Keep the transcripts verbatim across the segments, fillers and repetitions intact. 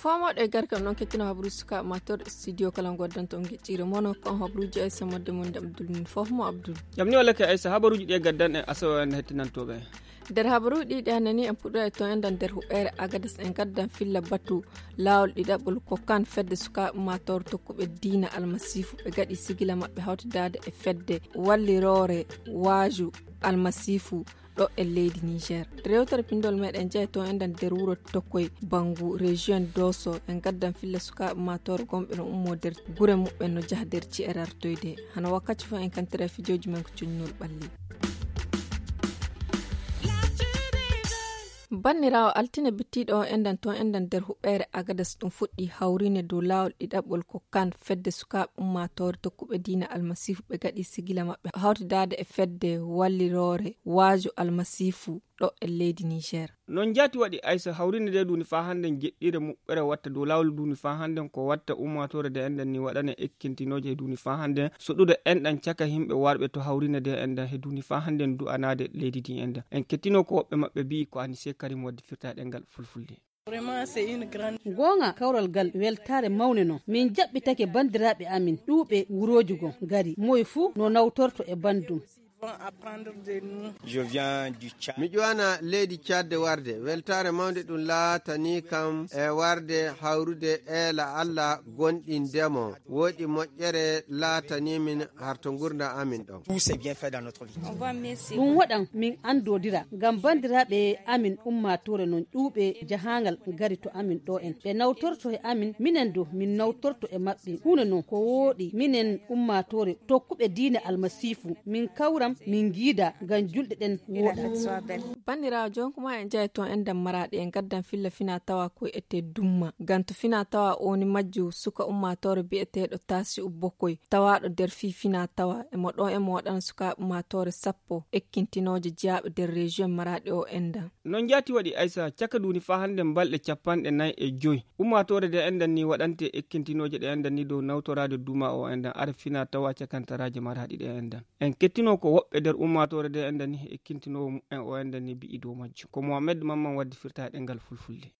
Faamoɗo e garkam noon kettino habaruuji sukaaɓe ma toon studio kala ngoddanto on geɗɗiire mono kon habaruuji Aysa modde mon de Abdul min fof mo Abdul. Jam ni walla ke Aysa habaruuji ɗi e gaddan en asawa en hettinantooɓe en. Nder habaruuji ɗi ɗi hannde ni en puɗɗo e toon enɗan nder huɓeere Agadas en gaddan filla batu laawol ɗiɗaɓol ko kan fedde sukaaɓe ummaatoore tokkuɓe diina almasiifu ɓe gaɗi sigila maɓɓe hawtidaade e fedde walliroore waaju almasiifu ɗo e leydi Niger. Rewtere pindol meɗen jeya toon enɗan nder wuro tokkoy bangu région doso en gaddan filla sukaaɓe ummaatoore gonɓe no ummo nder gure muɓɓen no jaha nder ci'e rartoyde hano wakkati fof en kantira fijooji men ko cuñnol ɓalli. Banniraawo altine bittiiɗo o enɗan toon enɗan nder huɓeere Agadas ɗum fuɗɗi hawriinde dow laawol ɗiɗaɓol ko kan fedde sukaaɓe ummaatoore tokkuɓe diina almasiifu ɓe gaɗi sigila maɓɓe hawtidaade e fedde walliroore waaju almasiifu ɗo e leydi Niger. Noon jaati waɗi Aysa hawriinde nde duuni faa hannde jeɗɗiire muɓɓere watta dow laawol duuni faa hannde ko watta ummaatoore nde enɗan ni waɗane ekkintinooje e duuni faa hannde soɗude enɗan caka yimɓe warɓe to hawriinde nde enɗan he duuni faa hannde du'anaade leydi ndi enɗan en kettino ko woɓɓe maɓɓe mbi'i ko Anise Karim waddi firta ɗengal fulfulde. Goonga kawral ngal weltaare mawne non min jaɓɓitake banndiraaɓe amin ɗuuɓe wurooji gon ngari moy fuu no nawtorto e banndum. Mi ƴuwana leydi cadde warde weltaare mawnde ɗum laatani kam e warde hawrude eela Allah gonɗindemo woɗi moƴƴere laatani min harto ngurda amin ɗon. Ɗum waɗan min anndodira ngam banndiraaɓe amin ummaatoore non ƴuuɓe jahaangal ngari to amin ɗo en ɓe nawtorto e amin minen du min nawtorto e maɓɓe huunde non ko wooɗi minen ummaatoore tokkuɓe diine almasiifu min kawram min ngiida ngam julɗe ɗen wooɗa. Banndiraawo jonkuma en njaye toon en ndammaraaɗi en ngaddan filla fina tawa ko ete dumma ngam to fina tawa o woni majju suka ummaatoore bi'eteeɗo taasi ubbokoy tawaaɗo nder fii fina tawa emo ɗo emo waɗana sukaaɓe ummaatoore sappo ekkintinooje jeyaaɓe nder region maraaɗi o endan. No njaati waɗi aysa caka duuni faa hannde balɗe capanɗe nayi e joy ummaatoore nde endan ni waɗante ekkintinooje ɗe endan ni dow nawtoraade duma o endan ara fina tawa cakantaraaje maraaɗi ɗe endan. En kettino ko woɓɓe nder ummaatoore nde endan ni ekkintinoowo mumen o endan ni bi'i dow majjum ko mohammed mamman waddi firta e ɗengal fulfulde.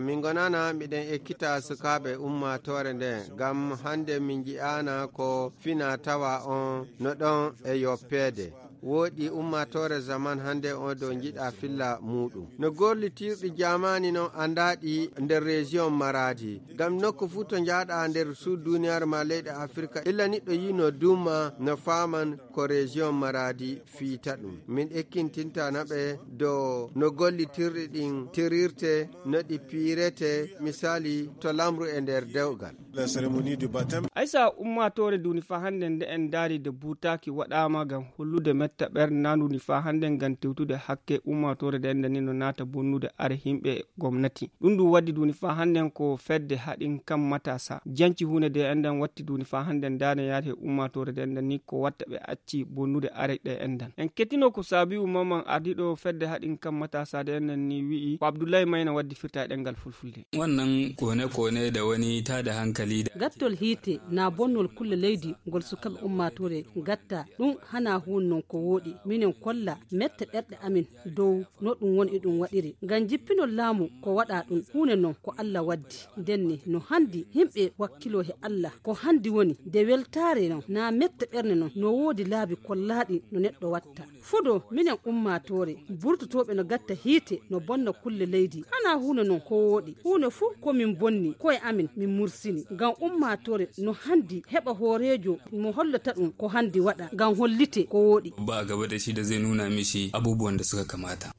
Min ngonana miɗen ekkita sukaaɓe ummaatoore nde ngam hannde min nji'aana ko fina tawa on no ɗon e yoppeede. Wooɗi ummaatoore zaman hannde on dow njiɗa filla muuɗum no gollitirɗi jaamaani non anndaaɗi nder region maraadi ngam nokku fuu to njaaɗa nder suud duniyaaru ma leyɗe afirka illa niɗɗo yino duma no faaman ko region maraadi fiita ɗum min ekkintintana ɓe dow no gollitirɗi ɗin tirirte no ɗi piirete misali to lamru e nder dewgal. Aysa ummaatoore duuni faa hannde nde en ndaari de buutaaki waɗaama ngam hollude metta ɓernandu ni faa hannde ngam tewtude hakke ummaatoore nde enden ni no naata bonnude are yimɓe gomnati ɗum ɗum waddi duuni faa hannde ko fedde haɗin kam matasa janci huunde nde enden watti duuni faa hannde ndaane yaade ummaatoore nde enden ni ko watta ɓe acci bonnude are ɗe enden en kettino ko saabiwu mamman ardiiɗo fedde haɗin kam matasa nde enden ni wi'i ko abdullahi mayna waddi firta e ɗengal fulfulde. Wannan kone-kone da wani tada hankali da gattol hiite na bonnol kulle leydi ngol sukaɓe ummaatoore gatta ɗum hana huun non ko wooɗi minen kolla mette ɓerɗe amin dow no ɗum woni e ɗum waɗiri ngam jippinol laamu ko waɗa ɗum huunde non ko allah waddi ndenne no handi yimɓe wakkilo he allah ko handi woni nde weltaare non na mette ɓernde non no woodi laabi kollaaɗi no neɗɗo watta fudo minen ummaatoore burtotooɓe no gatta hiite no bonna kulle leydi hana huunde non ko wooɗi huunde fuu ko min bonni koye amin min mursini ngam ummaatoore no handi heɓa hooreejo mo hollata ɗum ko handi waɗa ngam hollite ko wooɗi. Ba gaba da shi da zai nuna mishi abubuwan da suka kamata.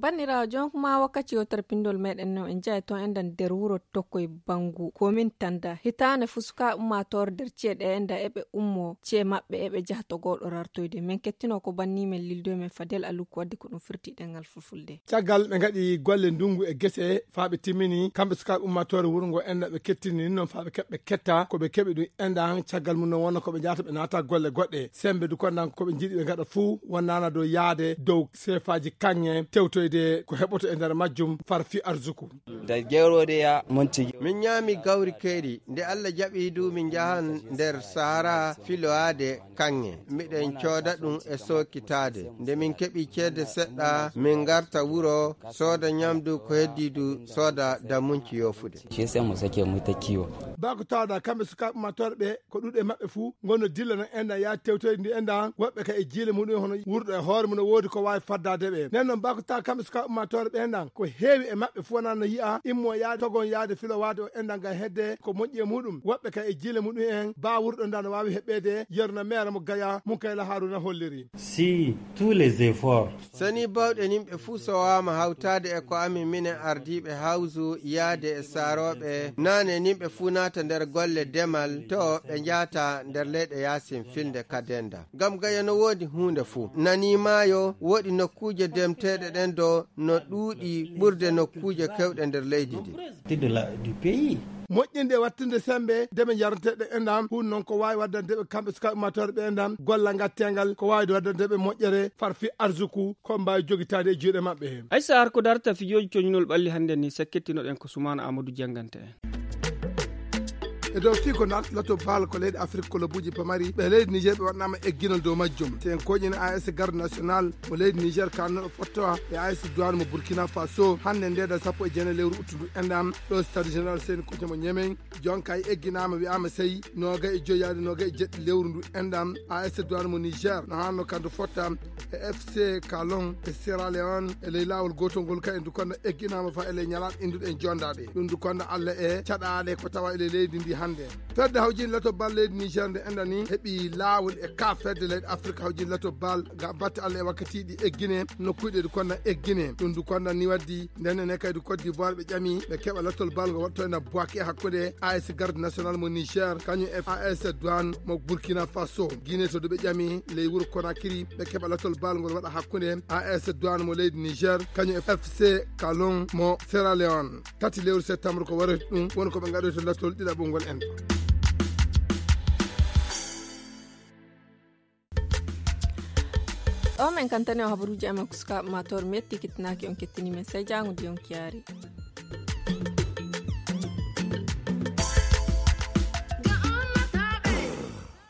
Banniraawo jonkuma wakkati yewtere pinndol meɗen no en njaha toon enɗan nder wuro tokkoye banngu komin tannda hitaande fuu sukaaɓe ummaatoore nder ci'e ɗe enɗan eɓe ummo ci'e maɓɓe eɓe njaha to gooɗo rartoyde min kettino ko banni men lildoye men fadel alu ko waddi ko ɗum firti ɗengal fulfulde. Caggal ɓe ngaɗi golle ndunngu e gese faa ɓe timmini kamɓe sukaaɓe ummaatoore wuro ngo enɗan ɓe kettini noon faa ɓe keɓɓe ketta ko ɓe keɓi ɗum enɗan caggal mum noon wonno ko ɓe njahata ɓe naata golle goɗɗe semmbe du konɗan ko ɓe njiɗi ɓe ngaɗa fuu wonnaana dow yahde dow seefaaji kaŋŋe tewtoyde. de ko heɓoto e nder majjum farfi arzuku. Nde jeerode ya monti. Min ñaami gawri keeri, nde Allah jaɓi du min njahan nder Sahara filowaade kaŋŋe. Miɗen cooda ɗum e sookitaade. Nde min keɓi ceede seɗɗa, min ngarta wuro, sooda ñamdu ko heddi du, sooda damunci yofude. Shi yasa mu sake mu ta kiwo. Bako tawda kamɓe sukaaɓe ummaatoore ɓe, ko ɗuuɗe maɓɓe fuu ngonno dilla no enɗan yaa tewtoyde ndi enɗan, woɓɓe ka e jiile muɗum hono wurɗo e hoore mum no woodi ko waawi faddaade ɓe. Nden noon bako tawa kamɓe sukaaɓe ummaatoore ɓe enɗan, ko heewi e maɓɓe fuu wonaa no yi'a immo yaade togon yaade filowaade o enɗan ngam hedde ko moƴƴi e muɗum. Woɓɓe ka e jiile muɗum en baa wurɗo nda no waawi heɓɓeede yerna meere mo Gaya, Munkayla Haruna holliri. Si tous les efforts. Sani bawɗe nimɓe fuu sowaama hawtaade e ko amin minen ardiiɓe hawsu yaade e saarooɓe naane nimɓe fuu naata nder golle demal to ɓe njaata nder leyɗe yaasin filnde kadenda. Ngam Gaya no woodi huunde fuu. Nani maayo woodi nokkuuje demteeɗe ɗen do no ɗuuɗi ɓurde nokkuuje kewɗe nder leydi ndi. Moƴƴinde e waɗtinde semmbe deme njaranteeɗe enɗan, huun noon ko waawi waddande ɓe kamɓe sukaaɓe ummaatoore ɓe enɗan gollal ngatteengal, ko waawde waddande ɓe moƴƴere farfi arzuku ko mbaawi jogitaade e juuɗe maɓɓe heen. Aysa Ar ko darta fijooji coñunol ɓalli hannde ni sakkettinoɗen ko Sumaana Amadou janngante en. E dow fii ko naat lato baal ko leydi Afrik kolobuuji pamari ɓe leydi Niger ɓe waɗnaama egginol dow majjum. Sen koƴin A S Garde National mo leydi Niger kanno fottowa e A S Douane mo Burkina Faso hannde ndeeda sappo e jeenayi lewru uttundu enɗan ɗo Stade Général Seyni Koutemo Ñemen. Jonka e egginaama wi'aama sey noogay e joyi yaade noogay e jeɗɗi lewru ndu enɗan A S Douane mo Niger no hanno kandu fotta e F C Kalon e Sierra Leone e ley laawol gootol ngol kay ndu konda egginaama fa e ley ñalaaɗe innduɗe en jondaaɗe. Ɗum ndu konda Allah e caɗaale ko tawa e ley leydi ndi hannde. Fedde hawjin lato bal leydi Niger nde enɗan ni heɓi laawol e ka fedde leyɗe Afrika hawjin lato bal ga batte Allah e wakkatiiɗi eggine nokkuuji ɗi konda eggine. Ɗum ndu konda ni waddi Nden ne kadi Côte d'Ivoire ɓe ƴami ɓe keɓa lattol bal ngo waɗto ena Bouaké hakkunde A S Garde National mo Niger kañum e A S Douane mo Burkina Faso. Guinée to du ɓe ƴami ley wuro Conakry ɓe keɓa lattol bal ngol waɗa hakkunde A S Douane mo leydi Niger kañum e F C Kalon mo Sierra Leone. Tati lewru septembre ko warata ɗum woni ko ɓe ngaɗoyta lattol ɗiɗaɓol ngol en. O men kantane o habaruuji amen ko sukaaɓe ma toon metti kittinaaki on kettini men sey jaango ndi on kiyaari.